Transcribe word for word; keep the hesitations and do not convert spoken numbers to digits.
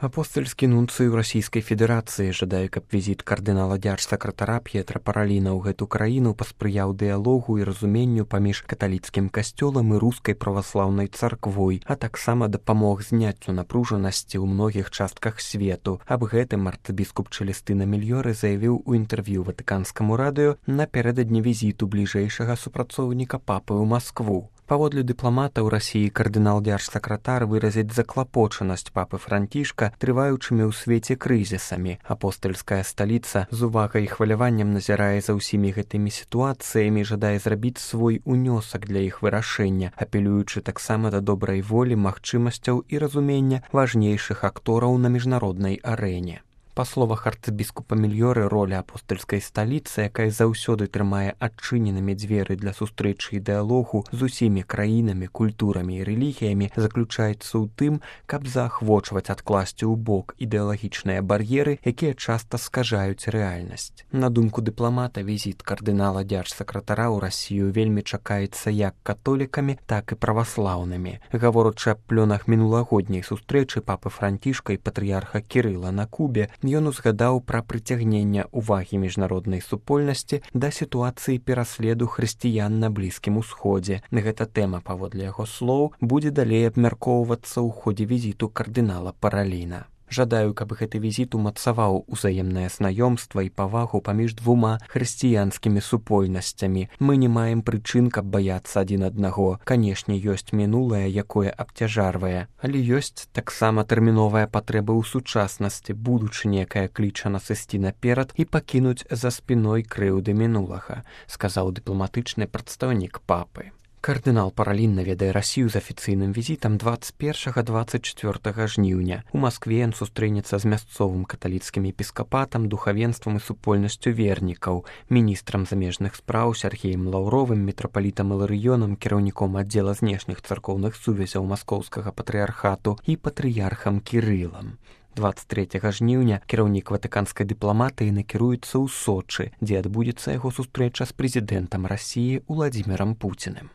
Апостольскі нунцый у Расійскай Федэрацыі жадае, каб візіт кардынала дзярж-сакратара П'етра Параліна ў гэту краіну паспрыяў дыялогу і разуменню паміж каталіцкім касцёлам і рускай праваслаўнай царквой, а таксама дапамог зняццю напружанасці ў многіх частках свету. Аб гэтым арцыбіскуп Чэлестына Мільёры заявіў у інтэрв'ю ватыканскаму радыё напярэдадні візіту бліжэйшага супрацоўніка папы ў Маскву. Паводле дыпламата ў Расіі кардынал дзярж-сакратар выразіць заклапочанасць папы Францішка трываючымі ў свеце крызісамі. Апостальская сталіца з увагай і хваляваннем назірае за ўсімі гэтымі сітуацыямі, жадае зрабіць свой унёсак для іх вырашэння, апелюючы таксама да добрай волі, магчымасцяў і разумення важнейшых актораў на міжнароднай арэне. Па словах арцыбіскупа Мільёры, роля апостальскай сталіцы, якая заўсёды трымае адчыненымі дзверы для сустрэчы і дыялогу з усімі краінамі, культурамі і рэлігіямі, заключаецца ў тым, каб заахвочваць адкласці ў бок ідэалагічныя бар'еры, якія часта скажаюць рэальнасць. На думку дыпламата, візіт кардынала дзярж-сакратара ў Расію вельмі чакаецца як католікамі, так і праваслаўнымі. Гаворачы аб плёнах мінулагодняй сустрэчы папы Францішка і патрыярха Кірыла на Кубе, ён узгадаў пра прыцягнення ўвагі міжнароднай супольнасці да сітуацыі пераследу хрысціян на Блізкім Усходзе. Гэта тэма, паводле яго слоў, будзе далей абмяркоўвацца ў ходзе візіту кардынала Параліна. Жадаю, каб гэты візіт умацаваў узаемнае знаёмства і павагу паміж двума хрысціянскімі супольнасцямі. Мы не маем прычын, каб баяцца адзін аднаго. Канешне, ёсць мінулае, якое абцяжарвае, але ёсць таксама тэрміновая патрэба ў сучаснасці, будучыні, якая кліча нас ісці наперад і пакінуць за спіной крыўды мінулага, сказаў дыпламатычны прадстаўнік папы. Кардынал Паралін наведае Расію з афіцыйным візітам дваццаць першага - дваццаць чацвёртага жніўня. У Маскве ён сустрэнецца з мясцовым каталіцкім епіскапатам, духавенствам і супольнасцю вернікаў, міністрам замежных спраў Сергеем Лаўровым, мітрапалітам Іларыёнам, кіраўніком аддзела знешніх царкоўных сувязяў маскоўскага патрыярхату і патрыярхам Кірылам. дваццаць трэцяга жніўня кіраўнік ватыканскай дыпламатыі накіруецца ў Сочы, дзе адбудзецца яго сустрэча з прэзідэнтам Расіі Уладзімірам Пуціним.